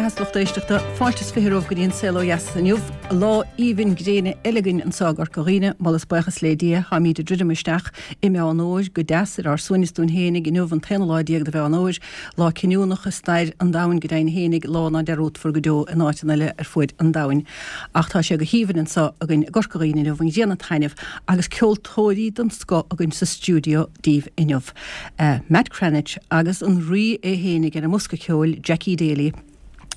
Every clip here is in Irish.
mbeatha a lucht éisteachta, fáilte is 20 romhaibh go dtí an Saol Ó Dheas inniu. Lá aoibhinn gréine eile againn anseo i gCorca Dhuibhne, moladh is buíochas le Dia. Táimíd ag druidim isteach i Meán Fhómhair go deas ar ár suaimhneas dúinn fhéinig inniu an t-aonú lá déag de Mheán Fhómhair, lá cinniúnach i stair an domhain go deimhin fhéinig, lá ná dearúdfar go deo in áiteanna eile ar fuaid an domhain. Ach tá sé go haoibhinn anseo againn i gCorca Dhuibhne inniu, an ghrian ag taitneamh agus ceoltóirí den scoth againn sa stiúideo daoibh inniu. Matt Cranitch agus an rí é fhéinig ar an mbosca ceoil, Jackie Daly,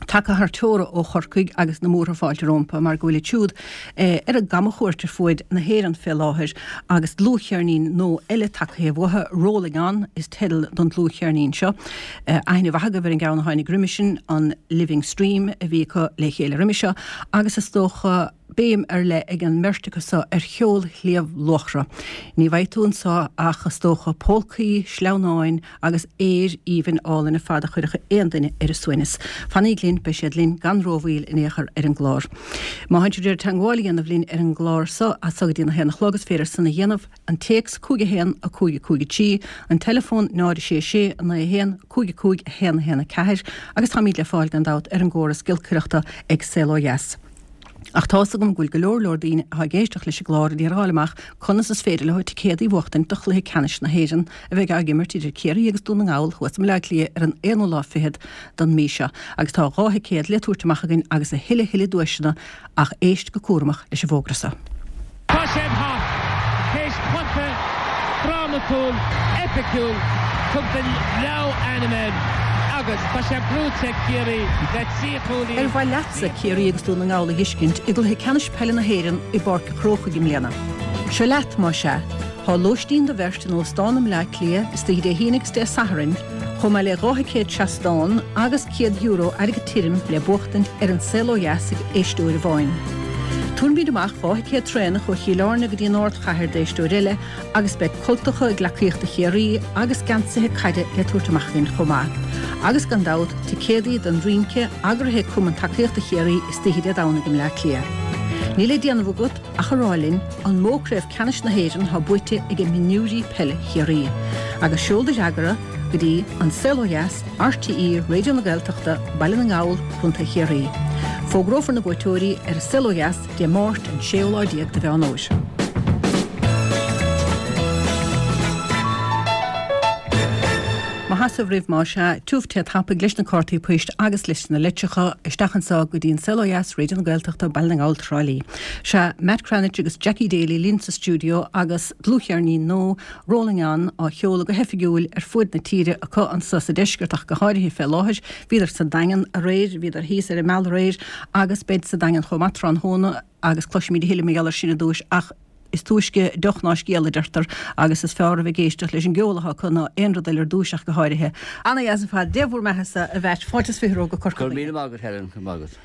tagtha thar teora ó Chorcaigh agus na múrtha fáilte rómpa mar go bhfuilid siúd ar a gcamachuairt ar fuaid na hÉireann fé láthair agus dlúthcheirnín nua eile tagtha uathu, Rolling On is teideal don dlúthcheirnín seo. Aithne mhaith agaibh ar an gceann a tháinig roimhe sin, an Living Stream a bhí acu le chéile roimhe seo agus is dócha, béim ar leith ag an mbeirt acu so ar cheol Shliabh Luachra. Ní bhfaighidh tú anso ach, is dócha, polcaí, sleamhnáin agus aoir aoibhinn álainn ar fad a chuirfeadh aon duine ar a suaimhneas. Fanaíg linn, beidh siad linn gan rómhoill in aon chor ar an gclár. Má tánn sibh ag iarraidh teagmháil a dhéanamh linn ar an gclár so, as so go dtí an 1 a chlog, is féidir san a dhéanamh, an téacs 5 1 5 5 3, an teileafón 0 6 6 9 1 5 5 1 1 4 agus táimíd le fáil gan dabht ar an gcóras giolcaireachta ag Saol Ó Dheas. Ach tá's agam go bhfuil go leor leor daoine atá ag éisteacht leis an gclár ag iarraidh a fháil amach conas is féidir leo ticéadaí a bhuachtaint do chluiche ceannais na hÉireann a bheidh á imirt idir Ciarraí agus Dún na nGall thuas i mBaile Átha Cliath ar an aonú lá fichead den mí seo. Agus tá 2 thicéad le tabhairt amach againn agus a thuilleadh thuilleadh duaiseanna ach éist go cúramach leis an bhfógra seo. Tá sé thart, théis cluiche drámatúil, eipiciúil, tugtar leamh-ainm air agus tá sé buaite ag Ciarraí le 3 chúilín. Ar mhaith leatsa Ciarraí agus Dún na nGall a dh'fheiscint i gcluiche ceannais peile na hÉireann i bPáirc an Chrócaigh i mbliana? Seo leat, más ea. Tá lóistín do bheirt in Óstán i mBleá Cliath istoíche Dé hAoine agus Dé Sathairn, chomh maith le 2 thicéad seastán agus €100 airgead tirim le buachtaint ar An Saol Ó Dheas ag éisteoir amháin. Tabharfaimid amach 2 thicéad traenach ó Chill Airne go dtí an ardchathair d'éisteoir eile agus beidh cultacha gleacaíochta Chiarraí agus geansaithe caide le tabhairt amach againn chomh maith. Agus gan dabht, ticéadaí don rince eagraithe ag Cumann Tacaíochta Chiarraí istoíche Dé Domhnaigh i mBleá Cliath. Níl le déanamh agat ach a rá linn an mó Craobh Ceannais na hÉireann atá buaite ag mionúirí peile Chiarraí. Agus seol do fhreagra go dtí An Saol Ó Dheas, RTÉ Raidió na Gaeltachta, Baile na nGall, Co. Chiarraí. Fógrófar na buaiteoirí ar An Saol Ó Dheas Dé Máirt an séú lá déag de Mheán Fhómhair. Mo sheasamh roimh más ea, tiubh te tapaidh leis na cártaí poist agus leis na litreacha isteach anso go dtí An Saol Ó Dheas, Raidió na Gaeltachta, Baile na nGall, Trá Lí. Sea, Matt Cranitch agus Jackie Daly linn sa stiúideo agus dlúthcheirnín nua, Rolling On, á sheoladh go hoifigiúil ar fuaid na tíre acu anso sa deisceart ach go háirithe fé láthair. Bhíodar sa Daingean aréir, bhíodar thíos ar an mbealach aréir agus beid sa Daingean chomh maith tráthnóna agus cloisfimid a thuilleadh mar gheall air sin ar dtúis ach is túisce deoch ná scéal a deirtear agus is fearr a bheith ag éisteacht leis an gceol atá acu ná aon rud eile ar dtúis ach go háirithe. Ana-dheas ar fad. Dé bhur mbeathasa, a Mheait. Fáilte is 20 romhaibh go Corca Go raibh míle maith agat, Helen. Go raibh maith agat.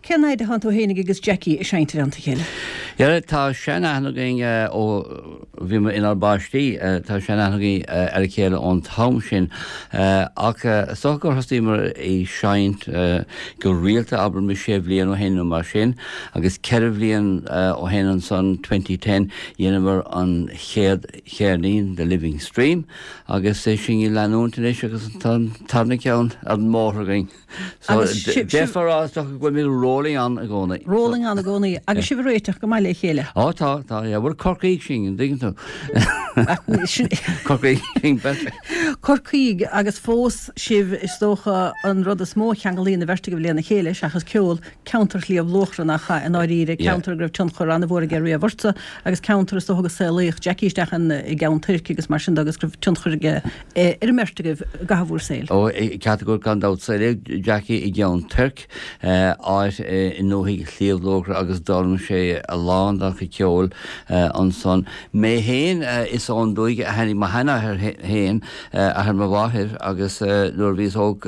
Cén fhaid a thánn tú fhéinig agus Jackie ag seinnt i dteannta a chéile? Yeah, tá sean-aithne againn ó bhíomar inár bpáistí, tá sean-aithne againn ar a chéile ón t-am sin. Ach is dócha gur thosaíomar ag seinnt go rialta, abraimis sé bhliain ó shin nó mar sin, agus ceithre bhliain ó shin ansan, 2010, dheineamar an chéad cheirnín, The Living Stream, agus sinn ag leanúint anois agus tá an tarna ceann ar an mbóthar againn. So, d'fhéadfá a rá is dócha go bhfuilimid rolling on i gcónaí. Rolling on i gcónaí. Agus sibh ag réiteach go maith le chéile. Ó tá, tá, yeah. Bhuel, Corcaígh sinn, an dtuigeann tú? Corcaígh sinn beirt. Corcaígh agus fós sibh, is dócha, an rud is mó a cheanglaíonn an bheirt agaibh lena chéile, seachas ceol, ceantar Shliabh Luachra nach ea, i ndáiríre, ceantar go raibh tionchar an-mhór aige riamh ortsa agus ceantar is dócha go saolaíodh Jackie isteach i gCeann Toirc agus mar sin de agus go raibh tionchar aige ar an mbeirt agaibh i gcaitheamh bhur saoil. Ó, ceart go leor gan dabht. Saolaíodh Jackie i gCeann Toirc, áit i ndúthaigh Shliabh Luachra agus d'fhoghlaim sé a lán dá chuid ceoil ansan. Mé féin, is ón dúiche a tháinig mo sheanathair féin, athair mo mháthair, agus nuair a bhíos óg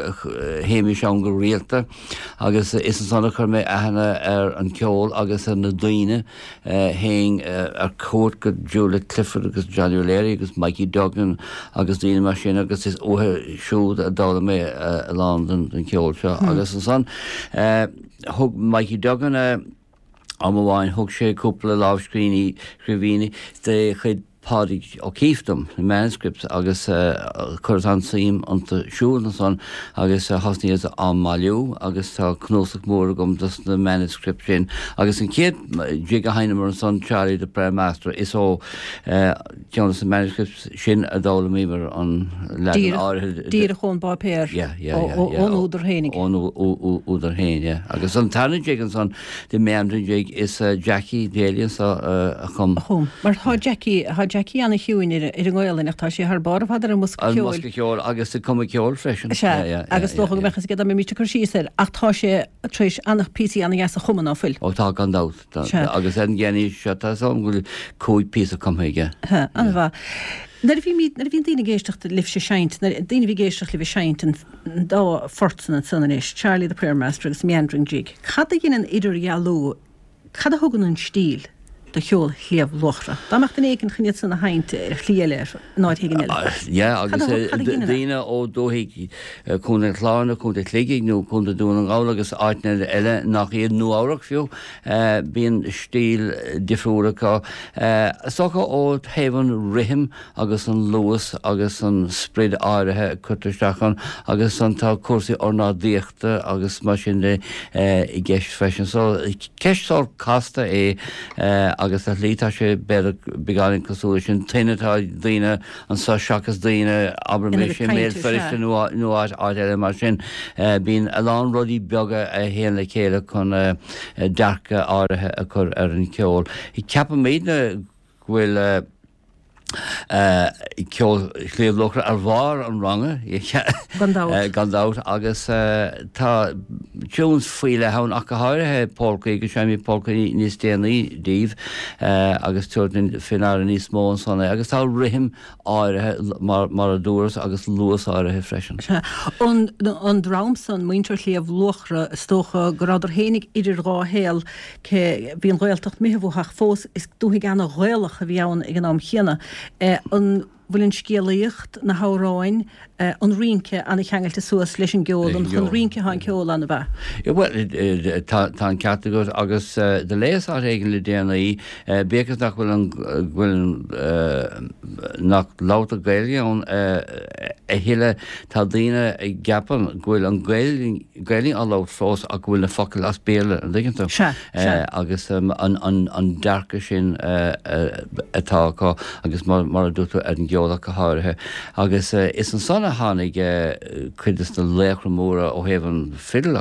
théimis ann go rialta agus is ansan a chuir mé aithne ar an gceol agus ar na daoine. Théinn ar cuairt go Julia Clifford agus Johnny O'Leary agus Mikey Duggan agus daoine mar sin agus is uathu siúd a d'fhoghlaim mé a lán den cheol seo. Agus ansan thug Mikey Duggan am amháin, thug sé cúpla lámhscríbhinní de chuid. Pádraig Ó Cíobháin dom, na manuscripts, agus chuireas an-suim iontu siúd ansan agus thosnaíos á mbailiú agus tá cnuasach mór agam dos na manuscripts sin. Agus an chéad jig a sheinneamar ansan, Charlie the Prayer Master, is ó cheann dos na manuscripts sin a d'fhoghlaimíomar an leagan áirithe. Díreach ón bpáipéar, ón údar fhéinig. Ón údar fhéin, yeah. Agus an tarna jig ansan, The Meandering Jig is Jackie Daly anso a chum. A chum. Mar tá Jackie, tá Jackie ana-chiúin ar an nGaelainn ach tá sé thar barr ar fad ar an mbosca ceoil. Ar an mbosca ceoil agus ag cumadh ceoil freisin. Sea, agus dócha go mbeadh fhios aige dá mbeimís ag cur síos air ach tá sé tar éis ana-phíosaí ana-dheasa a chumadh, ná fuil? Ó tá, gan dabht. Sea. Agus ar an gceirnín seo tá 'fhios agam go bhfuil 5 píosa cumtha aige. Sea, an-mhaith. Nuair a bhí, nuair a bhíonn daoine ag éisteacht libhse ag seinnt, nuair, daoine a bhí ag éisteacht libh ag seinnt an dá phort san ansan anois, Charlie the Prayer Master agus Meandering Jig, cad a dheineann idirdhealú, cad a thugann an stíl do cheol Shliabh Luachra? Dá mbeadh duine éicint chun iad san a sheinnt ar shlí eile, in áit éigin eile, Yeah, agus cad a dheineann é? daoine ó dúthaigh Contae an Chláir nó Contae Shligigh nó Contae Dún na nGall agus áiteanna eile nach iad, Nua-Eabhrac fiú, Bíonn stíl difriúil acu. Is dócha ó thaobh an rithim agus an luas agus an sprid áirithe a cuirtear isteach ann agus ansan tá cúrsaí ornáidíochta agus mar sin de i gceist freisin. So ceist sórt casta é agus ar shlí tá sé b'fhéidir beagáinín cosúil leis an tuin atá ag daoine anso seachas daoine, abraimis, i mBéal Feirste nó áit eile mar sin. Bíonn a lán rudaí beaga a théann le chéile chun dearcadh áirithe a chur ar an cheol. Ceapaimidne go bhfuil ceol Shliabh Luachra ar bharr an ranga, Gan dabht. gan dabht, agus tá tunes faoi leith ann ach go háirithe polcaí, agus seinnfimid polcaí níos déanaí daoibh. agus tabharfaidh faoi ndeara níos mó ansan é, agus tá rithim áirithe, mar a dúras, agus luas áirithe freisin. Sea. An dream san, muintir Shliabh Luachra, is dócha go rabhadar fhéinig idir dhá shaol, cé bhí an Ghaeltacht imithe uathu ach fós is dúthaigh ana-Ghaelach a bhí ann ag an am chéanna. An. bhfuil an scéalaíocht, na hamhráin, an rince ana-cheangailte suas leis an gceol, an chun rince atá an ceol ann, ab ea? Bhuel, tá an ceart agat agus do léas áit éigin le déanaí, bíodh is nach bhfuil an, go bhfuil an, nach labhartar Gaeilge ann a thuilleadh, tá daoine a gceapann go bhfuil an Ghaeilge á labhairt fós ach go bhfuil na focail as Béarla, an dtuigeann tú? Sea. Sea. Agus an dearcadh sin atá acu agus mar a dúirt tú ar an gceol ach go háirithe. Agus is ansan a tháinig cuid de na laochra móra ó thaobh an fidil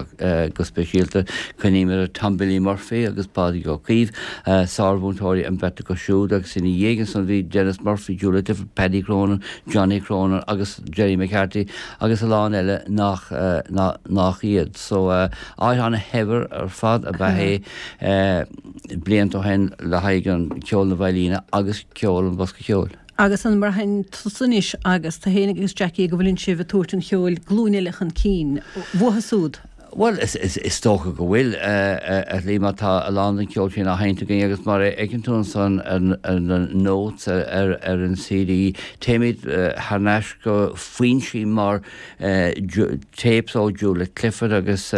go speisialta, cuimhním ar Tom Billy Murphy agus Pádraig Ó Caoimh, sármhúinteoirí an bheirt acu siúd agus ina dhiaidh ansan bhí Denis Murphy, Julia Clifford, Paddy Cronin, Johnny Cronin agus Gerry McCarthy agus a lán eile nach nach iad. So áit ana-shaibhir ar fad ab ea é blianta ó shin le haghaidh an ceol na veidhlíne agus ceol an bhosca cheoil. Agus an mbraitheann tusa anois agus tú fhéinig agus Jackie go bhfuileann sibh ag tabhairt an cheoil glúin eile chun cinn uathu súd? Bhuel, is dócha go bhfuil, ar shlí, mar tá a lán den cheol sin á sheinnt againn agus mar a fheiceann tú ansan ar na notes ar an CD, téimid thar n-ais go foinsí mar tapes ó Julia Clifford agus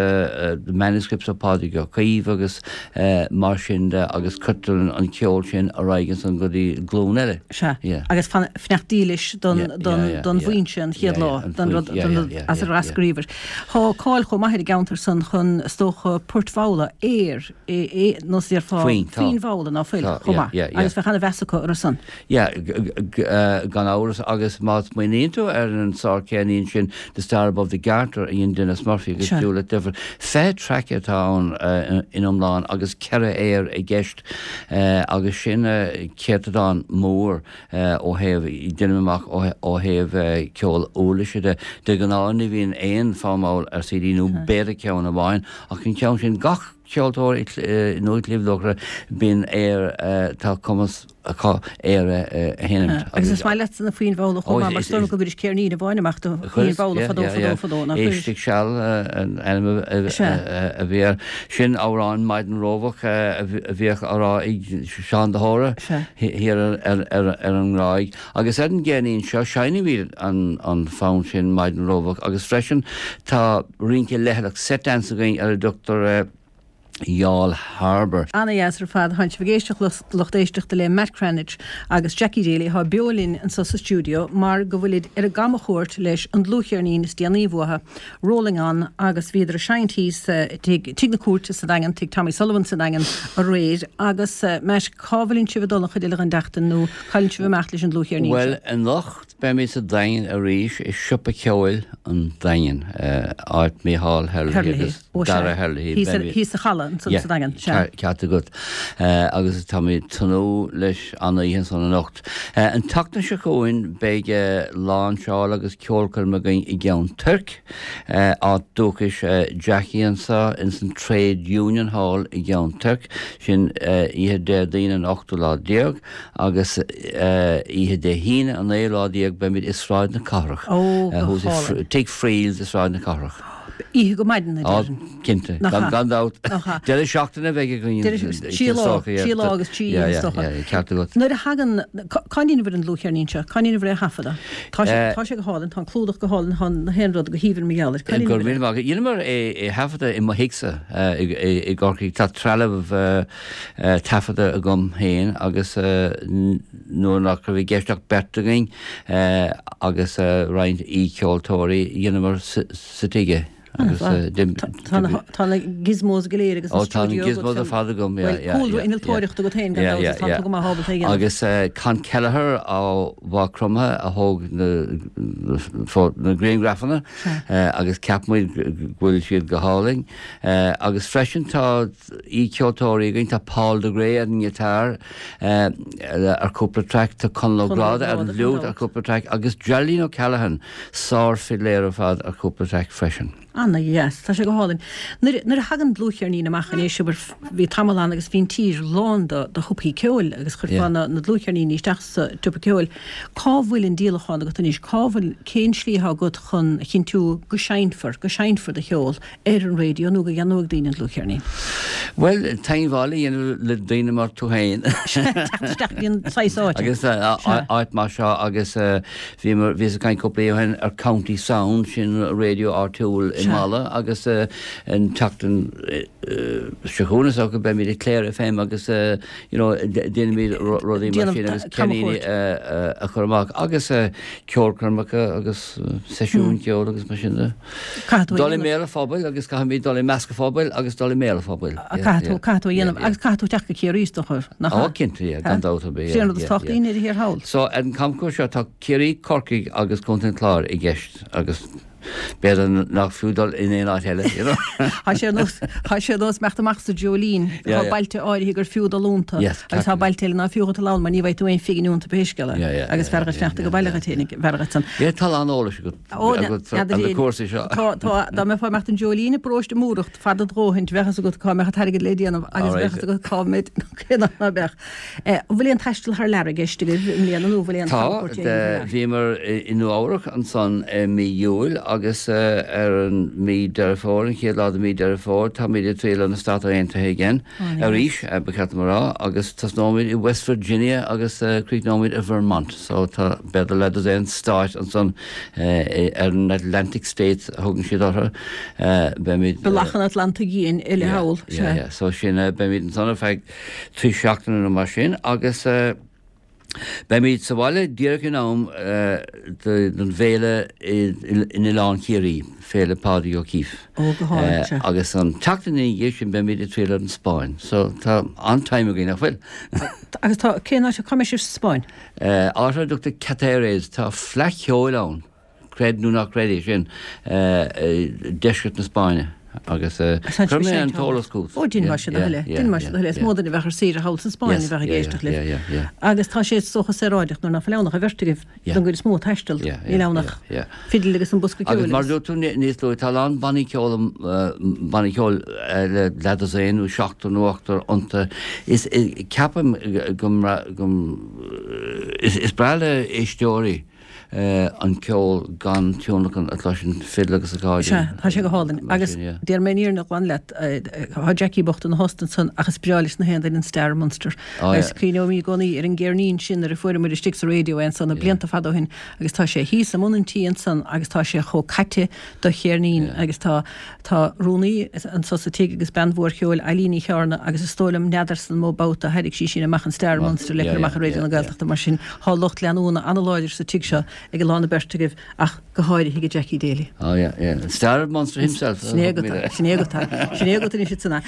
manuscripts ó Pádraig Ó Caoimh agus mar sin de agus cuirtear an ceol sin ar aghaidh ansan go dtí glúin eile. Sea. Agus fanacht dílis don bhfoinse an chéad lá, don rud as ar eascraíobhair. Tá cáil chomh maith ar an gceantar san chun, is dócha, poirt mhalla, aoir, nó is déarfá foinn mhalla ná fuil, chomh maith. Agus bheadh ana-mheas acu orthu san. Yeah, gan amhras, agus má smaoiníonn tú ar an sár-cheirnín sin The Star Above the Garter a dhein Denis Murphy agus Julia Clifford, 20 traic atá ann in iomlán agus ceithre aoir i gceist agus sin céatadán mór ó thaobh, deinim amach, ó thaobh ceol uirlise de. De ghnáth ní bhíonn aon fonn mall ar CD nó b'fhéidir ceann amháin ach an ceann sin, gach ceoltóir i nDúiche Shliabh Luachra bíonn aoir, tá cumas acu aoir a sheinmt. Agus is maith leatsa na foinn mhalla chomh maith mar is dóigh liom go gcuiris ceirnín amháin amach de fhoinn mhalla fadó fadó fadó, nach gcuiris? Éist ag Seal an ainm a bhí air. Sin amhrán Maidin Rómhach a bhíodh á rá ag Seán de hÓra thiar ar an nGráig. Agus ar an gceirnín seo seinnimid an fonn sin Maidin Rómhach agus freisin tá rince leithleach set dance againn ar a dtugtar. Youghal Harbour. Ana-dheas ar fad. Tánn sibh ag éisteacht lucht éisteachta le Matt Cranitch agus Jackie Daly atá beo linn anseo sa stiúideo mar go bhfuilid ar a gcamachuairt leis an dlúthcheirnín is déanaí uathu, Rolling On, agus bhíodar ag seinnt thíos tigh Tigh na Cúirte sa Daingean, Tigh Tommy Sullivan sa Daingean aréir. Agus Matt, cá bhfuileann sibh ag dul an chuid eile den tseachtain nó cá bhfuileann sibh ag imeacht leis an dlúthcheirnín seo? Bhuel, anocht Beimid sa Daingean arís i Siopa Ceoil an Daingin, áit Mícheál Herlihy agus Dara Herlihy. Thíos sa halla ansan sa Daingean, sea. Ceart agat. Agus táimid ag tnúth leis an oíche ansan anocht. An tseachtain seo chugainn beidh láinseáil agus ceolchoirm againn i gCeann Toirc, áit dúchais Jackie anso, ins an Trade Union Hall i gCeann Toirc, sin oíche Déardaoin an ochtú lá déag. Agus oíche Dé hAoine an naoú lá déag beimid i Sráid na Cathrach. Ó, go hálainn. Tigh Friels i Sráid na Cathrach. Oíche go maidin, a déarfainn. Ó, cinnte. Nach ea? Gan dabht. Nach ea? Deireadh seachtaine a bheidh againn. Deireadh, trí lá, trí lá agus trí oíche is dócha. Yeah, yeah, ceart agat. Nuair a thagann, cá ndéanabhair an dlúthcheirnín seo? Cá ndéanabhair é a thaifeadadh? Tá sé, tá sé go hálainn, tá an clúdach go hálainn, tá na haon rud go haoibhinn mar gheall air. Cá ndéanabhair é? Go raibh míle maith agat. Dheineamar é a thaifeadadh i mo thighse i gCorcaigh. Tá trealamh taifeadta agam féin agus nuair nach raibh i gceist ach beirt againn agus roinnt aoicheoltóirí, dheineamar sa tigh é. Agus Tá na gizmos go léir agus an stiúideo agat. Ó tá na gizmos ar fad agam, yeah, yeah. Bhuel, cúlra innealtóireachta agat féin gan dabht is tá tú go maith ábalta é a dhéanamh. Agus Con Kelleher ó Mhaigh Chromtha a thóg na grianghrafanna agus cheap muid go bhfuil siad go hálainn. Agus freisin tá aoicheoltóirí againn, tá Paul de Grey ar an ngiotár ar chúpla traic, tá Conall Ó Gráda ar an bhfliúit ar chúpla traic agus Geraldine O'Callaghan, sár-fhidléir ar fad ar chúpla traic freisin. Ana-dheas, tá sé go hálainn. Nuair nuair a thagann dlúthcheirnín amach anois, abair, bhí tamall ann agus bhí an tír lán de de shiopaí ceoil agus chuirfeá na na dlúthcheirníní isteach sa tsiopa ceoil. Cá bhfuil an díolachán agat anois? Cá bhfuil, cén slí atá agat chun a chinntiú go seinnfear, go seinnfear do cheol? ar an raidió nó go gceannóidh daoine an dlúthcheirnín? Bhuel, teagmháil a dhéanamh le daoine mar tú féin. Teacht isteach go dtí an saghas áite. Agus áit mar seo agus bhíomar, bhíos ag caint cúpla oíche ó shin ar County Sound, sin raidió áitiúil i Mala agus an tseachtain seo chugainn is dócha beimid ag Clare FM agus you know déanaimid rudaí mar sin agus ceirníní a chur amach agus ceolchoirmeacha agus seisiúin ceoil agus mar sin de. Caithfidh tú a Dul i dhéanamh. mbéal an phobail agus caithfimid dul i measc an phobail agus dul i mbéal an phobail. Caithfidh tú, caithfidh tú a dhéanamh agus caithfidh tú teacht go Ciarraí is dócha, nach ea? Ó, cinnte, yeah, gan dabht ar bith, yeah, Sin an rud is yeah, tábhachtaí yeah. i ndeireadh thiar thall. So, ar an camchuairt seo tá Ciarraí, Corcaigh agus Contae an Chláir i gceist agus b'fhéidir nach fiú dul in aon áit eile, you know. Tá sé ar nós, tá sé ar nós imeacht amach sa Dreoilín, Yeah, tá yeah. bailte áirithe gur fiú dul iontu Yes, agus tá bailte eile ná fiú dhuit dul ann mar ní bhfaighidh tú aon phingin iontu pé scéal é. Yeah, yeah, Agus yeah, b'fhearr dhuit yeah, fanacht ag baile yeah, dhuit féin, b'fhearr dhuit san. Yeah, tá a lán eolais agat. Ó, agat ar na cúrsaí seo. Tá, tá, dá mbeifeá ag imeacht an Dreoilín i bparóiste Múrach fada do dhóthain, bheadh fhios agat cá mbeadh an t-airgead le déanamh agus bheadh fhios agat cá mbeidh, cé ná ná beadh. An bhfuil aon taisteal thar lear i gceist agaibh i mbliana nó an bhfuil aon Tá, camchuairt déanta thar lear? bhíomar i Nua Eabhrac ansan i mí Iúil agus ar an mí Deireadh Fómhair, an chéad lá de mí Deireadh Fómhair, táimid ag triall ar na Stáit Aontaithe again, arís, ba cheart dom a rá, agus tosnóimid i West Virginia agus críochnóimid i Vermont. So tá b'fhéidir leathdosaen stáit ansan ar an Atlantic States a thugann siad orthu. Beimid. Bealach an Atlantaigh Fhiáin uile thall, sea. Yeah, yeah. So sin, beimid ansan ar feadh 3 seachtaine nó mar sin agus beimid sa bhaile díreach in am don bhféile in Oileán Ciarraí, Féile Pádraig O'Keeffe. Ó, go hálainn, sea. Agus an tseachtain ina dhiaidh sin beimid ag triall ar an Spáinn. So tá an-time againn, nach bhfuil? Agus tá, cén áit, cá mbeidh sibh sa Spáinn? Áit ar a dtugtar Cáceres, tá fleadh cheoil ann, creid nó ná creid é sin, i deisceart na Spáinne agus chuir mé an t-eolas chugat. Ó, déanfaidh sé do thoil é, déanfaidh sé do thoil é. Is mó duine a bheadh ar saoire thall sa Spáinn a bheadh ag éisteacht libh. Agus tá sé is dócha saoráideach nuair ná fuil ann ach an bheirt agaibh don gcuid is mó ag taisteal, níl ann ach fidil agus an bosca ceoil Agus mar a dúirt tú níos luaithe, tá a lán bannaí ceoil, bannaí ceoil le leathdosaen nó seachtar nó ochtar iontu. Is ceapaim go, go, is breá le éisteoirí. An ceol gan tionlacan a chloiseann fidil agus accordion. Sea, tá sé go hálainn. Agus déarfaidh mé an fhírinne ghlan leat, tá Jackie bocht ina thost ansan ach is breá leis na haon duine an Star of Munster. Agus cuimhneoimid i gcónaí ar an gceirnín sin nuair a fuaireamar istigh sa raidió é ansan na blianta fada ó shin agus tá sé thíos i mbun an tí ansan agus tá sé chomh caite de cheirnín agus tá Tá rúnaí anso sa tigh agus bean mhór cheoil, Eilín Uí Chearna, agus is dóigh liom, n'fheadarsa an mó babhta a thairrig sí sin amach an Star of Munster le cur amach ar Raidió na Gaeltachta. Mar sin, tá lucht leanúna an-láidir sa tigh seo ag a lán na beirt agaibh ach go háirithe ag Jackie Daly. Oh yeah, yeah. Star of Munster himself. Sin é agat é, sin é agat é, sin é agat anois ansan é.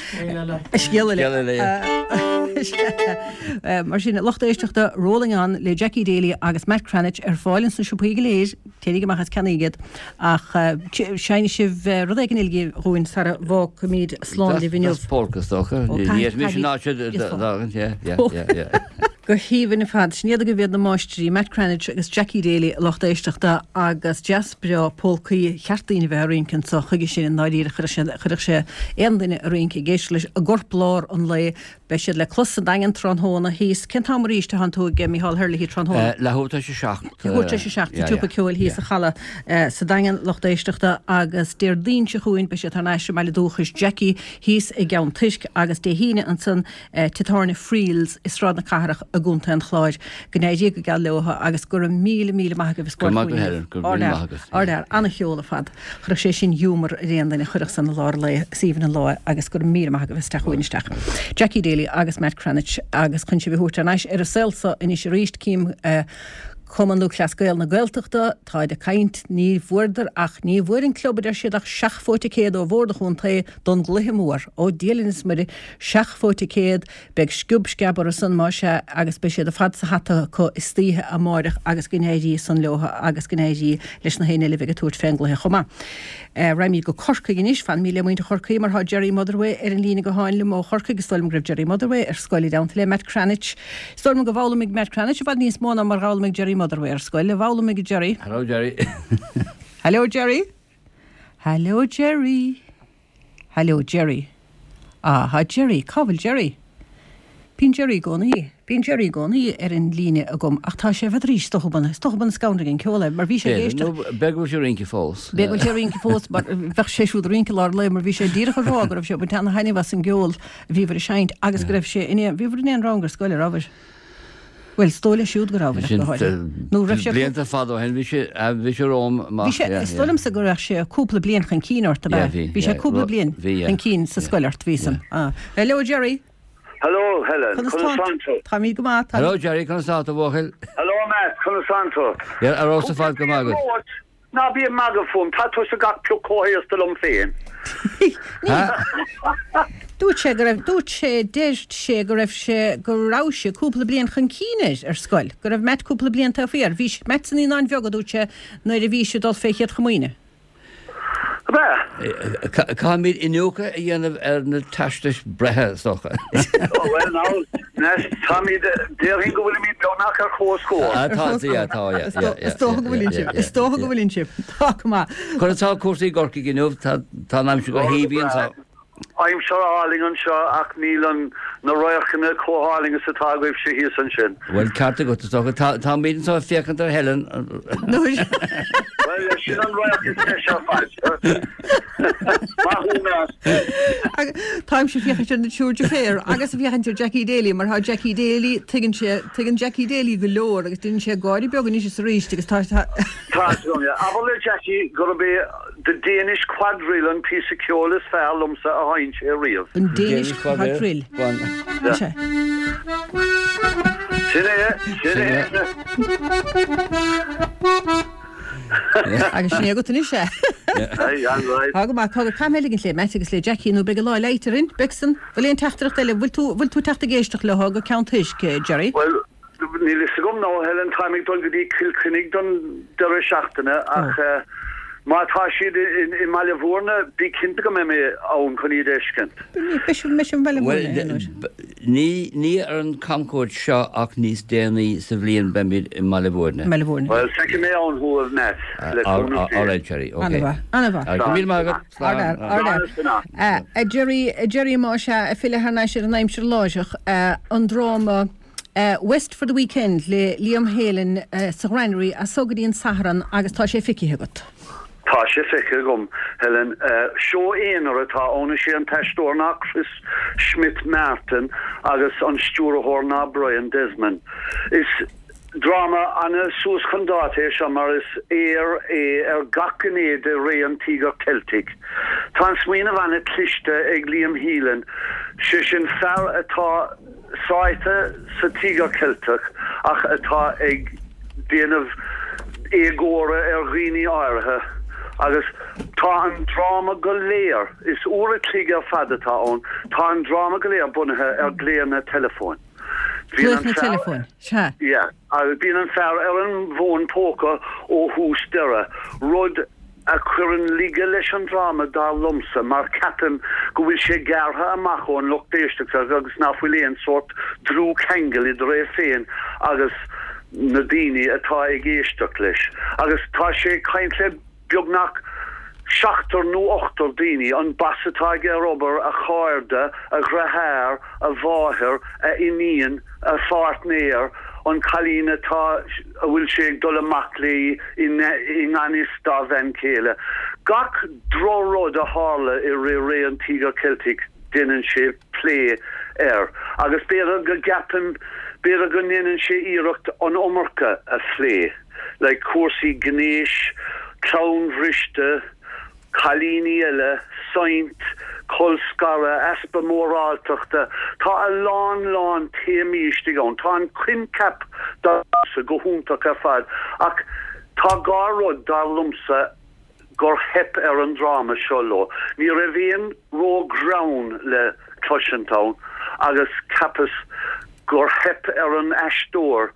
Scéal eile. Scéal eile, yeah. Mar sin, lucht éisteachta, Rolling On le Jackie Daly agus Matt Cranitch ar fáil ins na siopaí go léir. Téiríg amach is ceannaíg iad. Ach seinnfidh sibh rud éigin eile dhúinn sara bhfágfaimid slán libh inniu. That's polka is dócha. Ní fhéadfaimis an áit seo a fhágaint, yeah, yeah, yeah, yeah. Go haoibhinn ar fad. Sin iad agaibh iad na máistrí, Matt Cranitch agus Jackie Daly, a lucht éisteachta, agus deas breá polcaí cheart daoine a bheith ag rince anso chuige sin i ndáiríre chuirfeadh sé aon duine ag rince ag éisteacht leis i gcorplár an lae Beidh siad le clos sa Daingean tráthnóna thíos. Cén t-am arís a thánn tú ag Micheál Herlihy tráthnóna? Leathuair tar éis a 7. Leathuair tar éis a 7 sa tSiopa Ceoil thíos sa Chaladh sa Daingean, lucht éisteachta, agus Déardaoin seo chugainn beidh siad thar n-ais i mbaile dúchais Jackie thíos i gCeann Toisc agus Dé hAoine ansan Tigh Tábhairne Friels i Sráid na Cathrach i gContae an Chláir. Go n-éirí go geal leo agus go raibh míle míle maith agaibh as Go raibh maith agat Helen, go raibh míle maith agat. Ardfhear, an-cheol ar fad. Chuirfeadh sé sin giúmar ar aon duine, chuirfeadh san i lár an lae, is aoibhinn an lá é agus go raibh míle maith agaibh as teacht chugainn isteach. Jackie Daly agus Matt Cranitch agus chun sibh a thabhairt thar n-ais ar an saol so anois arís, cím Cumann Lúthchleas Gael na Gaeltachta, táid ag caint, ní bhfuaireadar ach, ní bhfuair an club a deir siad ach seacht bpóite céad ó Bhord an Chontae don gcluiche mór, ó Dia linn is Muire, seacht bpóite céad, Beidh sciob sceab orthu san, más ea, agus beidh siad ar fad sa hata acu istoíche amáireach agus go n-éirí san leo agus go n-éirí leis na héinne eile a bheidh ag tabhairt fén gcluiche chomh maith. Raghaimid go Corcaigh anois. Fanfaimid le muintir Chorcaí mar tá Gerry Motherway ar an líne gutháin liom ó Chorcaigh. Is dóigh liom go raibh Gerry Motherway ar scoil i dteannta le Matt Cranitch. Is dóigh liom go bhfoghlaimigh Matt Cranitch i bhfad níos mó ná mar dh'fhoghlaimigh Gerry Motherway ar scoil. A bhfoghlaimigh, a Gerry? Hello Gerry. Hello Gerry. Hello Gerry. Hello Gerry. Ah, tá Gerry, cá bhfuil Gerry? Bíonn Gerry i gcónaí, bíonn Gerry i gcónaí ar an líne agam ach tá sé, n'fheadar is dócha is dócha b'in scanraigh an ceol é mar bhí sé ag éisteacht. Nó b'fhéidir go bhfuil sé ag rince fós. B'fhéidir go bhfuil sé ag rince fós mar bheadh sé siúd ag rince i lár an lae mar bhí sé díreach ag rá go raibh sé ag baint ana-thaitneamh as an gceol a bhíobhair ag seinnt agus go raibh sé in aon, bhíobhair in aon rang ar scoil, a rabhair? Bhuel, is dóigh leis siúd go rabhair, ach go háirithe. Nó raibh sé. Blianta fada ó shin, bhí sé, bhí sé romham amach. Bhí sé, is dóigh liomsa go raibh sé cúpla bliain chun cinn ort, ab ea? Yeah, bhí. Bhí sé cúpla bliain chun cinn sa scoil ort, bhí san. Ah. Hello, Gerry. Hello, Helen. Conas tá tú? Táimid go maith. Hello, Gerry. Conas tá tú, a bhuachaill? Hello, Matt. Conas tá tú? Yeah, ar fheabhas ar fad, go maith agat. Ná bí ag magadh fúm, tá tusa gach pioc chomh haosta liom féin. Dúirt sé go raibh, dúirt sé, deir sé go raibh sé, go raibh sé cúpla bliain chun cinn air ar scoil, go raibh Matt cúpla bliain taobh thiar. Bhí Matt sna Naíonáin Bheaga, dúirt sé, nuair a bhí sé ag dul fé Chéad Chomaoine. Ab ea? Caithfimid iniúchadh a dhéanamh ar na teastais breithe, is dócha. Ó bhuel now, anois, táimid, déarfainn go bhfuilimid beagnach ar comhscór. Ah, tá, yeah, tá, yeah, yeah, yeah. Is dócha go bhfuileann sibh, is dócha go bhfuileann sibh. Tá go maith. Conas tá cúrsaí i gCorcaigh inniu? Tá an aimsir go haoibhinn anseo. Aimsir álainn anseo ach níl an, na radharcanna chomh hálainn is atá agaibhse thíos ansin. Bhuel, ceart agat, is dócha. Tá, táimid anseo ag féachaint ar Helen. Bhuel, sin an radharc is deise ar fad. Maith thú, Matt. Táimse ag féachaint ar na triúr deirféar agus ag féachaint ar Jackie Daly mar tá Jackie Daly, tuigeann sé, tuigeann Jackie Daly go leor agus déanann sé gáire beag anois is arís agus tá, tá. Tá, abair le Jackie gurb é The Danish Quadrille an píosa ceoil is fearr liomsa a sheinn sé riamh. An Danish Quadrille. Sea. Sin é, sin é. Agus sin é agat anois é. Aye, an-right. Tá go maith, tá go caithfidh mé a ligint le Matt agus le Jackie nó beidh an lá leáite orainn. Beidh san. Bhfuil aon teachtaireacht eile? Bhfuil tú, bhfuil tú ag teacht ag éisteacht leo go Ceann Toisc, Gerry? Bhuel, Níl fhios agam now, Helen, táim ag dul go dtí Cill Chainnigh don deireadh seachtaine ach má tá siad i mBaile Bhúirne, bí cinnte go mbeidh mé ann chun iad a fheiscint. Beidh sibh i mBaile Bhúirne aon uair. Ní, ní ar an camchuairt seo ach níos déanaí sa bhliain beimid i mBaile Bhúirne. Mbaile Bhúirne. Bhuel, feicfidh mé ann thú, a Matt, le cúnamh Dé. Alright, Gerry, ok. Ana-mhaith, ana-mhaith. Go raibh míle maith agat. Slán. Ardfhear, ardfhear. A Gerry, a Gerry, más ea, ag filleadh thar n-ais ar an aimsir láithreach, an dráma. West for the Weekend le Liam Heylin sa Ghranary as so go dtí an Satharn agus tá sé feicthe agat. Tá sé feicthe agam, Helen. Seó aonair atá ann. Is é an t-aisteoir ná Chris Smith Martin agus an stiúrthóir ná Brian Desmond. Is dráma ana suas chun dáta é seo mar is aoir é ar gach gné de ré an Tíogair Cheiltigh. Tá an smaoineamh ana cliste ag Liam Heylin, sé sin fear atá sáite sa Tíogar Ceilteach ach atá ag déanamh éagóra ar dhaoine áirithe agus tá an dráma go léir, is uair a chloig ar fad atá ann, tá an dráma go léir bunaithe ar glaonna teileafóin. Glaonna teileafóin, sea. Yeah, agus bíonn an fear ar an bhfón póca ó thús deireadh, rud a chuireann laige leis an dráma dar liomsa mar ceapaim go bhfuil sé gearrtha amach ón lucht éisteachta agus ná fuil aon sórt dlúthcheangal idir é féin agus na daoine atá ag éisteacht leis. Agus tá sé ag caint le beagnach seachtar nó ochtar daoine, an boss atá aige ar obair, a chairde, a dhriotháir, a mháthair, a iníon, a pháirtnéir, an cailín atá, a bhfuil sé ag dul amach léi i ngan fhios dá bhean chéile. Gach droch-rud a tharla i rith ré an Tíogair Cheiltigh déanann sé plé air agus b'fhéidir go gceapaim, b'fhéidir go ndéanann sé iarracht an iomarca a phlé, like cúrsaí gnéis, clann bhriste, cailíní eile, saint, colscaradh, easpa móráltachta, tá a lán lán téamaí istigh ann. Tá an coincheap dar liomsa go hiontach ar fad ach tá dhá rud dar liomsa gur theip ar an dráma seo leo. Ní raibh aon ró-ghreann le cloisint ann agus cheapas gur theip ar an aisteoir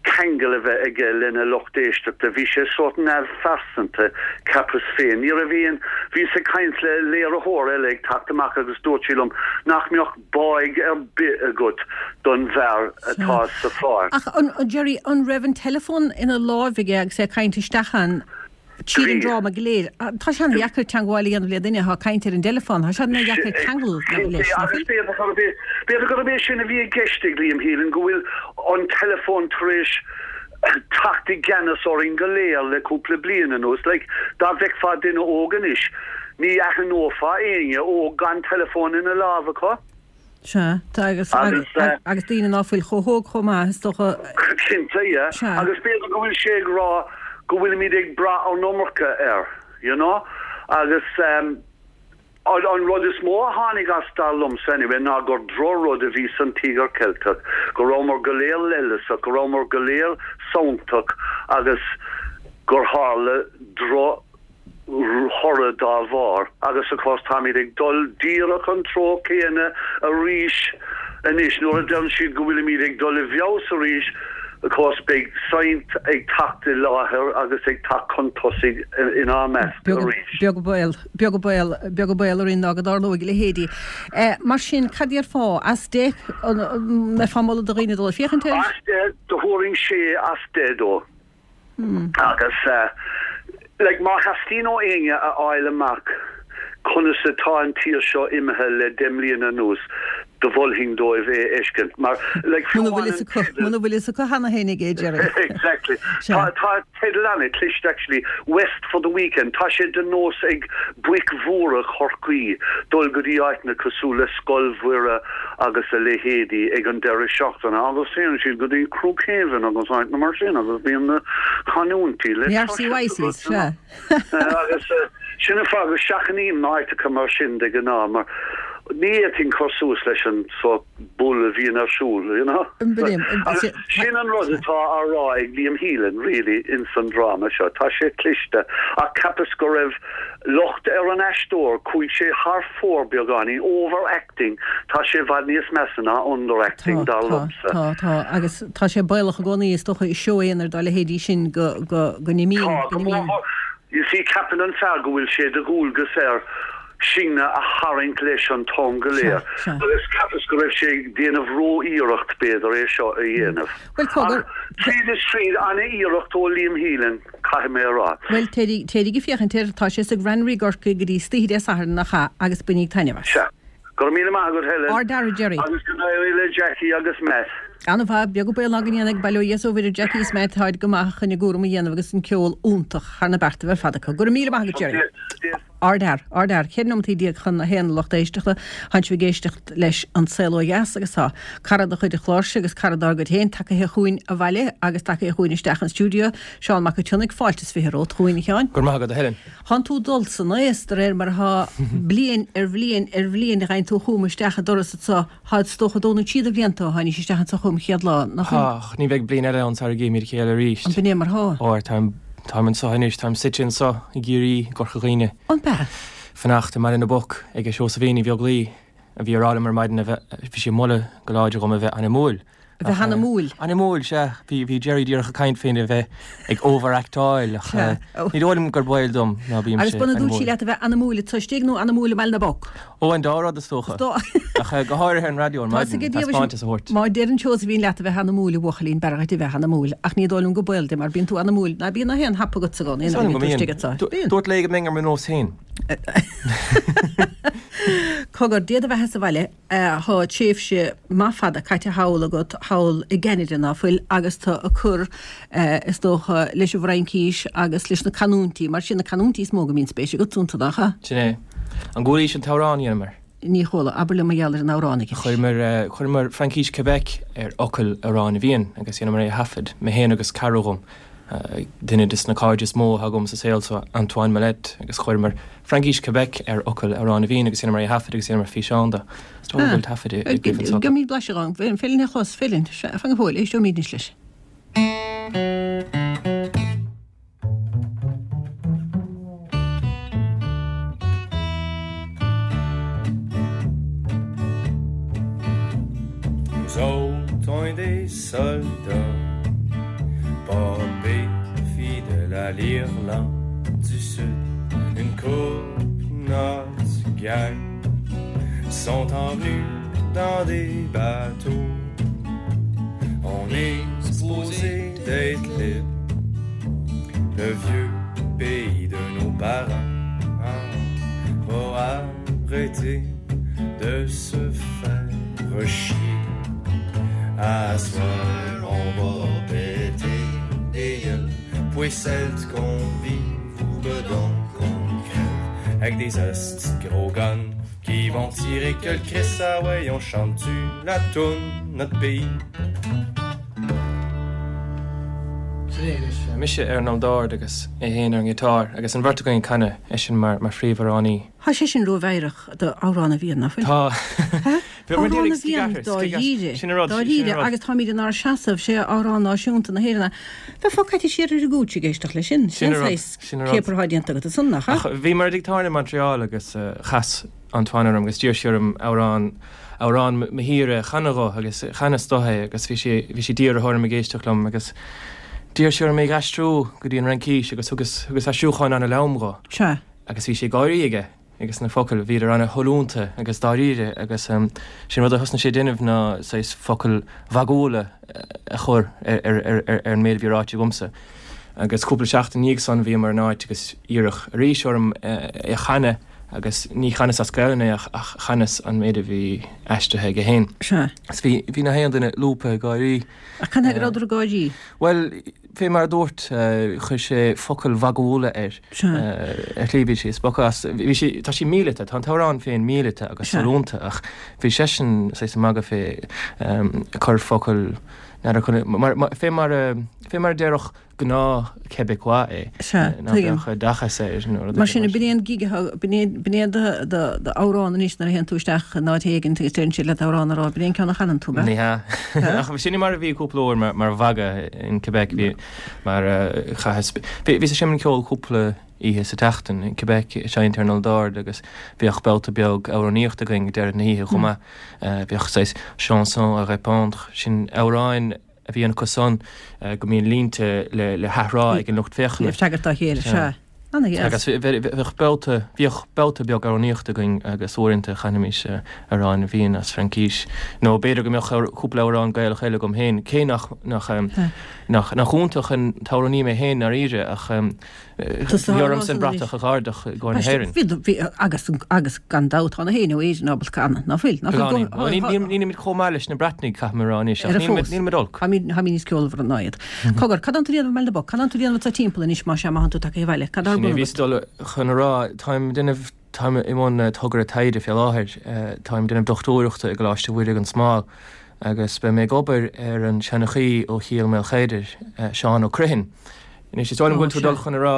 ceangal a bheith aige lena lucht éisteachta. Bhí sé sórt neamhphearsanta, cheapas féin. Ní raibh aon. Bhíos ag caint le léiritheoir eile ag teacht amach agus dúirt sí liom nach mbeadh báidh ar bith agat don bhfear atá sa pháirt. Ach, Gerry, an raibh an teileafón ina láimh aige agus é ag caint isteach ann? Tríd an dráma go léir. Tá sé an-dheacair teangmháil a dhéanamh le duine atá ag caint ar an dteileafón. Tá sé an-dheacair ceangal leis, nach bhfuil? B'fhéidir gurb é sin a bhí i gceist ag Liam Heylin, go bhfuil an teileafón tar éis teacht i gceannas orainn go léir le cúpla bliain anuas. Like, dá bhfeicfeá duine óg anois, ní aithneofá éinne óg gan teileafón ina lámh acu. Sea, tá agus, agus, agus daoine ná fuil chomh hóg chomh maith, is dócha. Cinnte, yeah. Sea. Agus b'fhéidir go bhfuil sé ag rá go bhfuilimid ag brath an iomarca air, you know? Agus um, an, an rud is mó a tháinig as dar liomsa anyway ná gur drochrud a bhí san Tíogar Ceilteach, go rabhamar go léir leithleasach, go rabhamar go léir santach agus gur tharla droch thoradh dá bharr agus of course táimid ag dul díreach an treo céanna arís anois. Nuair a deireann siad go bhfuilimid ag dul i bhfeabhas arís, of course beidh saint ag teacht i láthair agus ag teacht chun tosaigh inár measc arís. Beag baol, beag baol, beag baol orainn ná go dtarlóidh a leithéidí. Mar sin, cad déarfá? As 10, an mbeifeá ag moladh do dhaoine dul ag féachaint air? As 10, do thabharfainn sé as 10 dó. Agus like má theastaíonn ó éinne a fháil amach conas atá an tír seo imithe le 10 mbliana anuas, do mholfainn dóibh é a fheiscint. Mar like fiú amháin an teideal. Muna bhfuil fhios acu cheana féin aige, Gerry. Exactly. Tá tá teideal an-chliste actually, West for the Weekend. Tá sé de nós ag boic mhóra Chorcaí dul go dtí áiteanna cosúil le Scoil Mhuire agus a leithéidí ag an deireadh seachtaine agus téann siad go dtí Crookhaven agus áiteanna mar sin agus bíonn na canúintí le cloisint agat, you know. Agus sin an fáth go seachnaím na háiteacha mar sin de ghnáth mar ní fhéadfainn cur suas leis an sórt bull a bhíonn ar siúl, you know. Agus sin an rud atá á rá ag Liam Heylin really ins an dráma seo. Tá sé cliste ach cheapas go raibh locht ar an aisteoir, chuaigh sé thar fóir beagáinín, over-acting. Tá sé i bhfad níos measa ná underacting, dar liomsa. Tá, tá, agus tá sé baolach i gcónaí, is dócha, i seó aonair dá leithéidí sin go, go, go n-imíonn, Tá, go mór mór. You see, ceapann an fear go bhfuil sé de dhualgas air sinne a tharraingt leis an t-am go léir. Sea, sea. Agus cheapas go raibh sé ag déanamh ró-iarracht, b'fhéidir, é seo a dhéanamh. Bhuel, cogar. Ach tríd is tríd, ana-iarracht ó Liam Heylin, caithfidh mé a rá. Bhuel, téiríg, téiríg ag féachaint air, tá sé sa Granary i gCorcaigh go dtí istoíche Dé Sathairn, nach ea, agus bainíg taitneamh as. Sea. Go raibh míle maith agat, Helen. Ard-fhear, a Gerry. Agus go n-éirí le Jackie agus Matt. An-mhaith, beag an baol ná go ndéana ag bail ó Dhia 's ó Mhuire Jackie is mé, táid go maith chun a gcúram a dhéanamh agus an ceol iontach thar na beartaibh ar fad acu. Go raibh míle maith agat Jerry. Ardfhear, ardfhear. 14 nóimeataí chun a haon a lucht éisteachta. Tánn sibh ag éisteacht leis An Saol Ó Dheas agus tá cara de chuid an chláir seo agus cara dár gcuid féin tagaithe chugainn abhaile agus tagaithe chugainn isteach an stiúideo, Seán Mac an tSionnaigh, fáilte is 20 romhat chugainn, a Sheáin. Go raibh maith agat, a Helen. Thánn tú ag dul san aos de réir mar atá bliain ar bhliain ar bhliain a gheibheann tú chugam isteach an doras anso. Tá is dócha dó nó trí de bhlianta ó tháinís isteach anso chugam chéad lá, nach ea? Ach ní bheidh bliain eile ann sara gcífimid a chéile arís. An b'in é mar thá? Óir táim, táim anso anois, táim suite anso i gCiarraí, i gCorca Dhuibhne. An b'ea? Fanacht i mBaile na bPoc ag Seosaimhín Uí Bheaglaoi, a bhí ag rá liom ar maidin a bheith, bhí sí ag moladh go láidir dhom a bheith anamúil. A bheith anamúil. Anamúil, sea. Bhí, bhí Jerry díreach ag caint faoina bheith ag over-actáil ach ní dóigh liom gur baol dom ná bímse Agus b'ionann dúirt sí leat a bheith anamúil anseo istigh nó anamúil i mBaile na bPoc? Ó, an dá rud is dócha. Ach go háirithe ar an raidió ar maidin, taispeántas a thabhairt. Má deireann Seosaimhín leat a bheith anamúil, a bhuachaillín, b'fhearr dhuit a bheith anamúil. Ach ní dóigh liom go baol di mar bíonn tú anamúil, ná bíonn ach aon hap agatsa i gcónaí nuair a bhíonn tú istigh anseo. Bíonn. Dúirt léi go mbeinn ar mo nós féin. Cogar, Dia do bheatha sa bhaile. Tá tréimhse maith fada caite thall agat, thall i gCeanada, ná fuil, agus tú ag cur, is dócha, leis an bhFraincís agus leis na canúintí, mar sin na canúintí is mó go mbíonn spéis agat iontu, nach ea? Sin é. An gcualaís an t-amhrán a dheineamar? Ní chuala. Abair liom mar gheall ar an amhrán anois. Chuireamar, chuireamar Fraincis Québec ar fhocail Amhrán na bhFiann agus dheineamar é a thaifead, mé féin agus cara dhom, duine des na cairde is mó atá agam sa saol so, Antoine Malette, agus chuireamar Fraincis Québec ar fhocail Amhrán na bhFiann agus dheineamar é a thaifead agus dheineamar físeán de. Is dóigh liom go bhfuil taifead i gcuimhne anseo. Gheobhaimid blaiseadh ann. Féileann a chlos, Féileann. Fan go fóill, éisteoimid anois leis. Nous autres on est des soldats Pas pires fidèles à l'Irlande du Sud Une coupe notre gang Sont envenus dans des bateaux On est supposé d'être libre Le vieux pays de nos parents Va arrêter de se faire chier À soir on va péter des gueules Puis celles qu'on vive ou bedon qu'on crève Avec des hosties de gros guns Qui vont tirer que le Christ ah ouais on chante-tu la toune notre pays Sin é anois. Mise ar an ndord agus é féin ar an ngiotár agus an bheirt againn ag canadh, eisean mar phríomhamhránaí. Tá sé sin rómheidhreach do Amhrán na bhFiann, nach bhfuil? Tá. Amhrán na bhFiann, dáiríre. Sin an rud. Dáiríre, agus táimid inár seasamh, sé amhrán náisiúnta na hÉireann é. Bheifeá caite siar ar an gcúits ag éisteacht leis sin. Sin an rud. Sin an rud. Céapar atá déanta agat ansan, nach ea? Ach bhíomar i dtigh tábhairne i Montreal agus chas Antoine orm agus d'iarr sé orm amhrán, amhrán mo thíre a chanadh dho agus chanas dó é agus bhí sé, bhí sé dírithe orm ag éisteacht liom agus d'iarr sé orm é a aistriú go dtí an Fhraincis agus thugas, thugas aistriúchán ana-lom dho. Sea. Agus bhí sé ag gáirí aige agus na focail, bhíodar ana-shollúnta agus dáiríre agus sé'n rud a thosnaigh sé ag déanamh ná saghas focail mhagúla a chur ar an méid a bhí ráite agamsa. Agus cúpla seachtain ina dhiaidh san bhíomar in áit agus iarradh arís orm é a chanadh agus ní chanas as Gaelainn é ach chanas an méid a bhí aistrithe aige féin. Sea. Agus bhí, bhí nach aon duine lúbtha ag gáirí. Ach cad chuige a rabhadar ag gáirí? Bhuel, Fé mar a dúirt, chuir sé focail mhagúla air. Ar shlí bhí sé ag spochadh as. Bhí sé, tá sé míleata, tá an t-amhrán féin míleata agus sollúnta ach bhí seisean saghas ag magadh fé, ag cur focail, n'fheadar conas, mar, fé mar a, fé mar a déarfadh gnáth Québécois é. Sea, Ná tuigim. beadh oideachas air nó rud Mar éigin sin, mar sin. b'in é an gig atá, b'in é, b'in é do, do, do amhrán anois nuair a théann tú isteach in áit éigin agus deireann siad leat amhrán a rá, b'in é an ceann a chanann tú, ab ea? Ní hea. Ach sin mar a bhí cúpla uair mar, mar mhagadh in Québec, bhí, mar chaitheas, bhí, bhíos ag seinm ceoil cúpla oíche sa tseachtain in Québec, ag seinnt ar an olldord agus bhíodh babhta beag amhránaíochta againn ag deireadh na hoíche chomh maith. Bhíodh saghas chanson à répondre, sin amhráin a bhíonn acu san go mbíonn línte le, le hathrá ag an lucht féachana. Le freagairt dá chéile, sea. Ana-dheas. Agus bheadh babhta, bhíodh babhta beag amhránaíochta againn agus uaireanta chanaimis amhráin bhinn as Fraincís nó b'fhéidir go mbeadh cúpla amhrán Gaelach eile agam féin, cé nach, nach, nach, nach iontach an t-amhránaí mé féin ndáiríre ach bhí ormsa an bratach a dh'ardach i gcomhair na hÉireann. Bhí, bhí, agus, agus gan dabht tá na héinne ó Éirinn ábalta canadh, ná fuil? Ná fuil? Beagáinín. Nílimid chomh maith leis na Breatnaigh, caithfidh mé a rá anois, ach nílimid olc. Táimid níos ceolmhaire ná iad. Cogar, cad tánn tú a dhéanamh i mBaile na bPoc? Cad tánn tú a dhéanamh anseo timpeall anois más ea má thánn tú tagtha abhaile? Cad atá ar Sin é bun a bhíos agat? ag dul chun a rá. Táim ag déanamh, táim i mbun togra taighde fé láthair. Táim ag déanamh dochtúireachta i gColáiste Mhuire gan Smál agus beidh mé ag obair ar an seanchaí ó Chill Maoilchéadair, Seán Ó Criomhthain. Anois, is dóigh liom go bhfuil tú ag dul chun a rá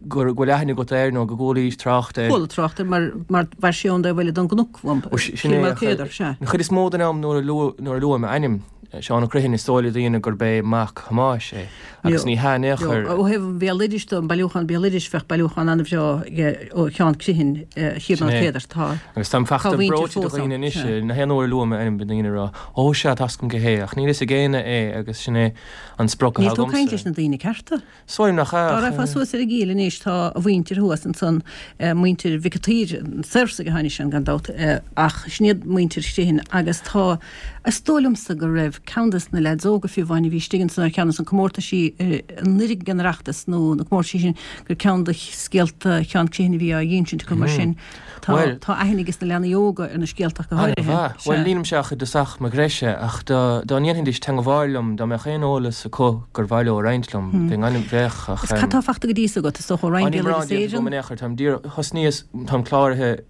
go bhfuil aithne agat air nó go gcualaís trácht air. Chuala trácht air mar mar mhair sé ón dtaobh eile den gcnoc uaim, Sin Cill é, Maoilchéadair, sea. An chuid is mó den am nuair a luaim a ainm, Seán Ó Criomhthain, is dóigh le daoine gurb é mac Thomáis é, agus ní hea in aon chor. Ó thaobh an bhéaloidis de, an bailiúchán béaloidis, bheadh bailiúchán an-bhreá aige ó Sheán Criomhthain, Chill Maoilchéadair. Tá Agus táim tá fachta a mhuintir breoite de fós ann, dhaoine anois, sea. na haon uair a luaim a ainm bíonn daoine ag rá, Ó sea, tá's agam cé hé, ach níl fhios ag éinne é agus sin é an sprioc Níl atá tú ag caint agamsa. leis na daoine cearta. Is dóigh liom nach ea, Dá ach. raghfá suas ar an gCill anois tá a mhuintir thuas ansan, muintir Mhic an tSaoir, na Saorsaigh a tháinig sin gan dabht, ach sin iad muintir Chriomhthain agus tá, is dóigh liomsa go raibh ceann des na leaids óga fiú amháin a bhí istigh ansan ar cheann des na comórtaisí anuraidh ag an Oireachtas nó na comórtaisí sin gur ceann de scéalta Sheán Criomhthain a bhí á dh'insint acu mar sin. Tá Bhuel. tá aithne ages na leanaí óga ar na scéalta ach go háirithe. An-mhaith. Bhuel, Sea. nílimse ach i dtosach mo ghreise, ach dá dá ndéanfaidís teangmháil liom, dá mbeadh aon eolas acu gur mhaith leo a roinnt liom, bheinn an, bheadh, ach Is cad tá fachta go dtí so agat, is dócha, ó Á, Roinn níl mórán Béaloideas déanta agam Éireann? in aon chor, táim díreach, thosnaíos, táim cláraithe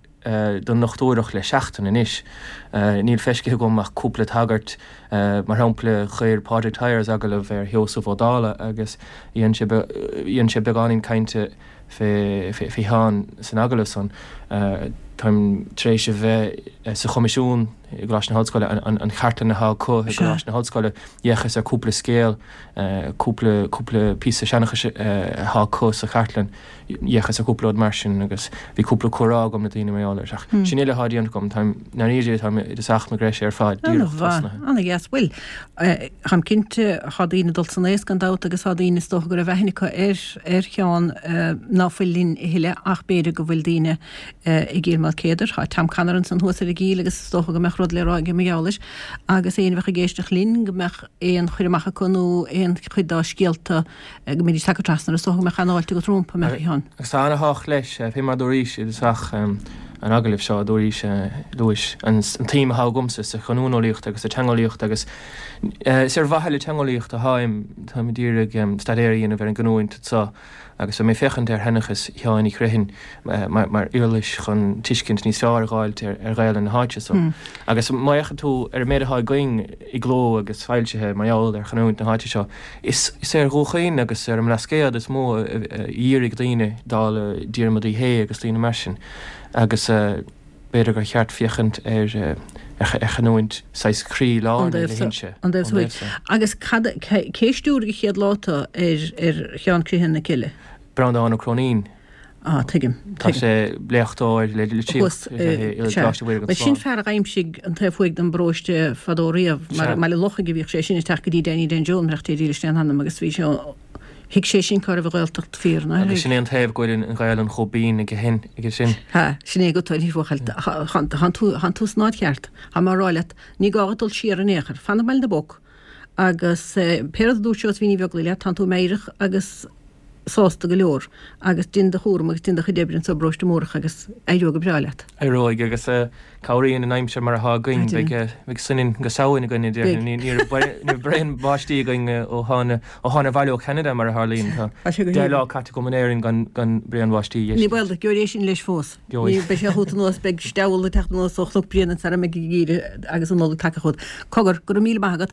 don ndochtúireacht le seachtain anois. Níl feiscithe agam ach cúpla tagairt, mar shampla, chuir Pádraig Tyers agallamh ar Sheosamh Ó Dálaigh agus dhein sé, dhein sé beagáinín cainte fé Sheán san agallamh san. Táim tar éis a bheith sa Choimisiún i gColáiste na hOllscoile, an chartlann atá acu i gColáiste na hOllscoile, d'fhéachas ar cúpla scéal, cúpla, cúpla píosa seanchais atá acu sa chartlann, d'fhéachas ar cúpla rud mar sin agus bhí cúpla comhrá agam le daoine mar gheall air. Ach sin uile atá déanta agam, táim, i ndáiríre, táim i dtosach mo ghreise ar fad, díreach tosnaithe. Ana-mhaith, ana-dheas. Bhuel, Táim cinnte, tá daoine ag dul san aos gan dabht agus tá daoine is dócha go raibh aithne acu ar ar Sheán ná fuil linn a thuilleadh ach b'fhéidir go bhfuil daoine i gCill Maoilchéadair, tá Tom Connor ansan thuas ar an gCill agus is dócha go mbeadh rud le rá aige mar gheall air agus éinne a bheadh ag éisteacht linn go mbeadh aon chur amach acu nó aon chuid dá scéalta go mbeidís tagtha trasna is dócha go mbeadh an-fháilte agat rompu, a mbeadh, a Sheáin. Agus tá ana-thábhacht leis, fé mar a dúraís i dtosach an agallaimh seo, dúraís, luais an tsuim atá agamsa sa chanúineolaíocht agus sa teangeolaíocht agus is ar mhaithe le teangeolaíocht atáim, táim ag iarraidh staidéar a dhéanamh ar an gcanúint anseo agus beidh mé ag féachaint ar sheanchas Sheáin Uí Chriomhthain mar uirlis chun tuiscint níos fearr a dh'fháilt ar Ghaelainn na háite so. Agus má fhéachann tú ar an méid atá againn i gcló agus foilsithe mar gheall ar chanúint na háite seo, Is ar Dhún Chaoin agus ar an mBlascaod is mó a dhírigh daoine, dála Diarmuid Uí Shé agus daoine mar sin, agus b'fhéidir gur cheart féachaint ar chanúint saghas chroí lár na hInse, ón dtaobh thuaidh. Agus cad, cé a stiúraigh an chéad lá tú ar Sheán Criomhthain na Cille? Breandán Ó Cróinín. Ah, tuigim. Tá sé léachtóir le litríocht i gColáiste Mhuire gan Bhuel, sin Smál. fear a d'aimsigh an taobh thuaidh den bparóiste fadó riamh, mar i mBaile Lochaigh a bhíodh sé sin ag teacht go dtí Danny Dan Joe, murach Dé dílis lena anam, agus bhí sé, thuig sé sin cá raibh an Ghaeltacht fíor, nár Agus thuig? sin é an taobh go bhfuil an Ghaelainn chomh binn aige sin, aige sin. Ha, sin é go toil, bhuachaill, thánn tú, thánn tú san áit cheart. Tá mé á rá leat, ní gá dhuit dul siar in aon chor, fan i mBaile na bPoc, agus pé rud a dúirt Seosaimhín Ní Bheaglaoich leat, tánn tú meidhreach agus sásta go leor agus dein do chúram agus dein do chuid oibre anso i bparóiste Mórdha agus éireoidh go breá leat. Éireoidh agus cabhraíonn an aimsir mar atá againn. Beidh beidh soineann go Samhain againn a déarfainn. Ní ní raibh braon báistí againn ó thána ó thána abhaile ó Cheanada mar a tharlaíonn. Tá 10 lá caite agam in Éirinn gan gan braon báistí. Ní baol duit, gheobhaidh é sin leis fós. Ní beidh sé chugat anuas, beidh steall ag teacht anuas ó Chnoc Bréanainn sara mbeidh an geimhreadh agus an Nollaig tagtha chugat. Cogar, go raibh míle maith agat.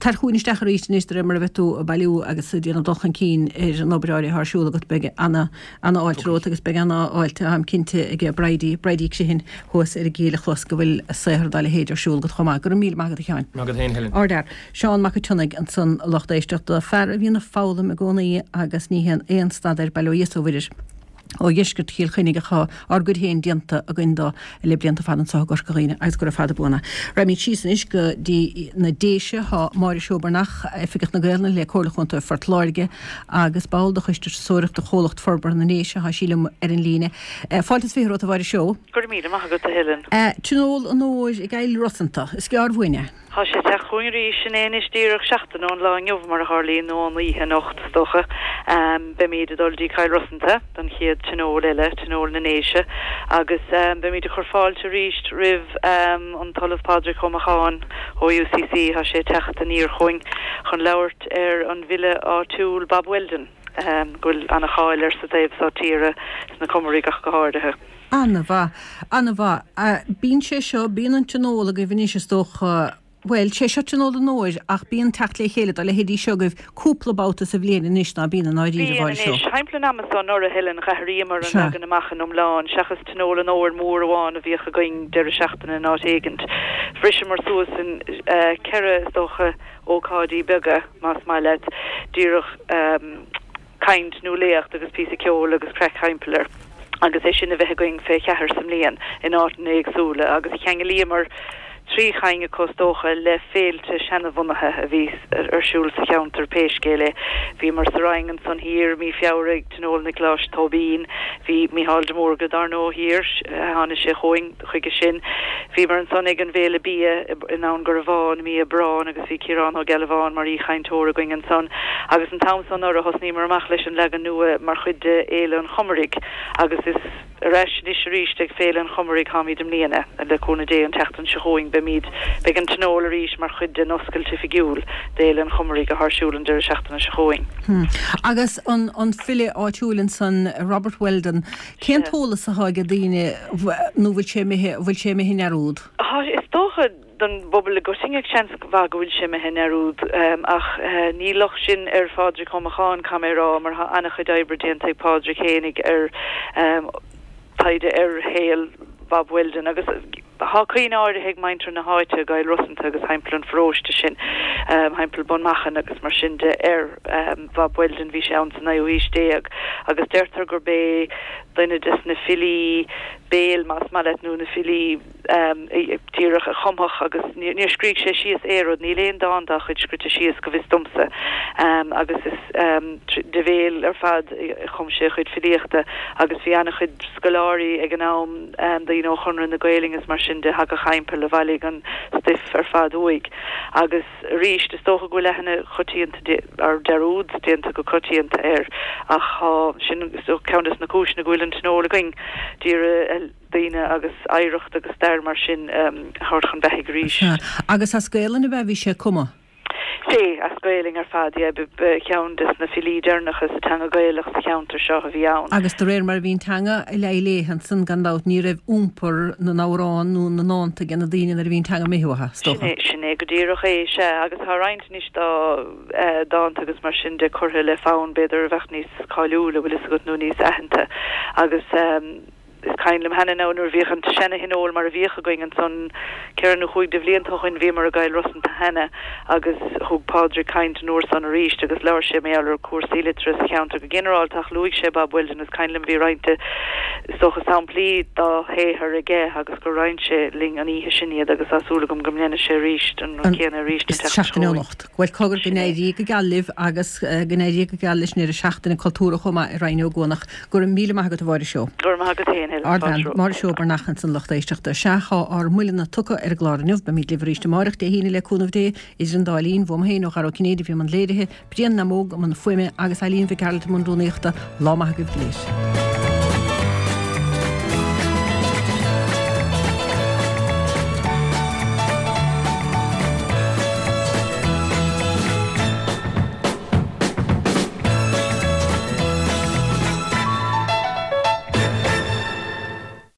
Tar chugainn isteach arís anois de réir mar a bheidh tú ag bailiú agus ag déanamh dul chun cinn ar an obair áirithe atá ar siúl agat. Beidh ana, ana-fháilte romhat agus beidh ana-fháilte, táim cinnte, ag Bridie, Bridie Criomhthain thuas ar an gCill a chlos go bhfuil saothar dá leithéid ar siúl agat chomh maith. Go raibh míle maith agat, a Sheáin. Maith agat féin, Helen. Ardfhear. Seán Mac an tSionnaigh ansan, a lucht éisteachta, fear a bhíonn ag foghlaim i gcónaí agus ní théann aon stad air, bail ó Dhia is ó Mhuire air. Ó dheisceart Chill Chainnigh ach tá ár gcuid féin déanta againn dó le blianta fada anseo i gCorca Dhuibhne agus gura fada buan é. Raghaimid síos anois go dtí na Déise. Tá Máire Seó Breathnach, Oifigeach na Gaelainne le Comhairle Chontae Phort Láirge agus ball de Choiste Turasóireachta Chomhlacht Forbartha na nDéise, tá sí liom ar an líne. Fáilte is 20 romhat a Mháire Seó. Go raibh míle maith agat, a Helen. Tionól an Fhómhair i gCill Rosanta. Is gearr uainn é. Tá sé ag teacht chugainn arís, sin é anois díreach seachtain ón lá inniu mar a tharlaíonn, nó ón oíche anocht is dócha. Beimid ag dul dtí Cill Rosanta don chéad tionól eile, Tionól na nDéise, agus beimid ag cur fáilte arís roimh an tOllamh Pádraig Ó Macháin ó UCC, tá sé ag teacht aniar chugainn chun labhairt ar an bhfile áitiúil Bob Weldon, go bhfuil ana-cháil air sa taobh so tíre, sna Comaraigh ach go háirithe. Ana-mhaith. Ana-mhaith. Bíonn sé seo, bíonn an tionól agaibh anois is dócha, bhuel, sé seo tionól an fhómhair ach bíonn teacht le chéile dá leithéidí seo agaibh cúpla babhta sa bhliain anois, ná bíonn i ndáiríre, a Bíonn Mháire Seó? anois. Thimpeall an ama so anuraidh, a Helen, d'athraíomar an leagan amach in iomlán, seachas tionól an fhómhair mór amháin a bhíodh againn deireadh seachtaine in áit éigint. Bhriseamar suas in ceithre, is dócha, ócáidí beaga, más maith leat, díreach, caint nó léacht agus píosa ceoil agus craic thimpeall air agus é sin a bheith againn fé cheathair sa mbliain in áiteanna éagsúla agus cheanglaíomar trí chinn acu is dócha le féilte seanabhunaithe a bhí ar siúl sa cheantar pé scéal é. Bhíomar sa Rinn ansan thiar mí Feabhra ag Tionól Niocláis Tóibín, bhí Mícheál de Mórdha dár ndóigh thiar, tháinig sé chugainn. Chuige sin, bhíomar ansan ag an bhFéile Bia i nDún Garbhán i mí Aibreáin agus bhí Ciarán Ó Gealbháin mar aoichainteoir againn ansan. Agus an t-am so anuraidh thosnaíomar amach leis an leagan nua mar chuid de Fhéile an Chomaraigh agus is ar ais anois arís ag Féile an Chomaraigh tháimid i mbliana. Le cúnamh Dé an tseachtain seo chugainn beimid, beidh an Tionól arís mar chuid den oscailt oifigiúil d'Fhéile an Chomaraigh athá ar siúl an deireadh seachtaine seo chugainn. Agus an file áitiúil ansan, Robert Weldon, Cén t-eolas atá ag daoine nó bhfuil sé imithe, bhfuil sé imithe i ndearúd? Tá, is dócha, don bpobal i gcoitinne, seans mhaith go bhfuil sé imithe i ndearúd. Ach ní locht sin ar Phádraig Ó Macháin, caithfidh mé a rá, mar tá an-chuid oibre déanta ag Pádraig fhéinig ar taighde ar shaol Bob Weldon agus Thá cuimhne áirithe ag muintir na háite i gCill Rosanta agus thimpeall an pharóiste sin, thimpeall Bun Machan agus mar sin de, ar Bhob Weldon. Bhí sé ann sa naoú haois déag agus deirtear gurb é duine des na filí béil, más maith leat, nó na filí díreach a chumfadh agus níor scrígh sé síos aon rud, níl aon dán dá chuid scrite síos go bhfios domsa agus is de bhéal ar fad a chum sé a chuid filíochta agus bhí an-chuid scoláirí ag an am, daoine ó Chonradh na Gaelainne is mar sin de, thagadh thimpeall, a bhailigh an stuif ar fad uaidh. Agus arís, is dócha go bhfuil aithne choitianta, or dearúd déanta go coitianta air, ach tá, sin is dócha ceann des na cúiseanna go bhfuil an tionól againn, d'iarraidh daoine agus oidhreacht agus stair mar sin a thabhairt chun beathaigh arís. Sea. Agus as Gaelainn ab ea a bhí sé ag cumadh? Sea, as Gaelainn ar fad, yeah. Ba cheann des na filí deireanacha sa teanga Ghaelach sa cheantar seo a bhí ann. Agus de réir mar a bhí an teanga ag leá léithe ansan, gan dabht, ní raibh iompar na n-amhrán nó na ndánta ag na daoine nuair a bhí an teanga imithe uathu, is dócha. Sin é, sin é go díreach é, sea. Agus tá roinnt anois dá dánta agus mar sin de curtha le fonn, b'fhéidir, a bheadh níos cáiliúla, bhfuil fhios agat, nó níos aitheanta. Agus. Is cuimhin liom cheana now nuair a bhíodh an seana-thionól mar a bhíodh againn ansan ceithre nó chúig de bhlianta ó shoin bhíomar i gCill Rosanta cheana agus thug Pádraig caint an uair san arís agus labhair sé mar gheall ar cúrsaí liteartha sa cheantar go ginearálta ach luaigh sé Bob Weldon is cuimhin liom bhí roinnt de is dócha samplaí dá shaothar aige agus gur roinn sé linn an oíche sin iad agus tá súil agam go ndéanfaidh sé arís an rud céanna arís an tseachtain seo chugainn. Bhuel, cogar, go n-éirí go geal libh agus go n-éirí go geal leis an deireadh seachtaine cultúrtha chomh maith i Rinn Ó gCuanach. Go raibh míle maith agat a Mháire Seó. Go raibh maith agat féin, Helen. Ardbhean, Máire Seó Breathnach ansan lucht éisteachta. Sea, tá ár mbuille tugtha ar an gclár inniu. Beimid libh arís amárach, Dé hAoine le cúnamh Dé. Idir an dá linn, bhuam féin ó Dhara Ó Cinnéide a bhí i mbun léirithe, Brian Namóg i mbun fuaime agus Eileen Mhic Gearailt i mbun rúnaíochta. Lá maith agaibh go léir.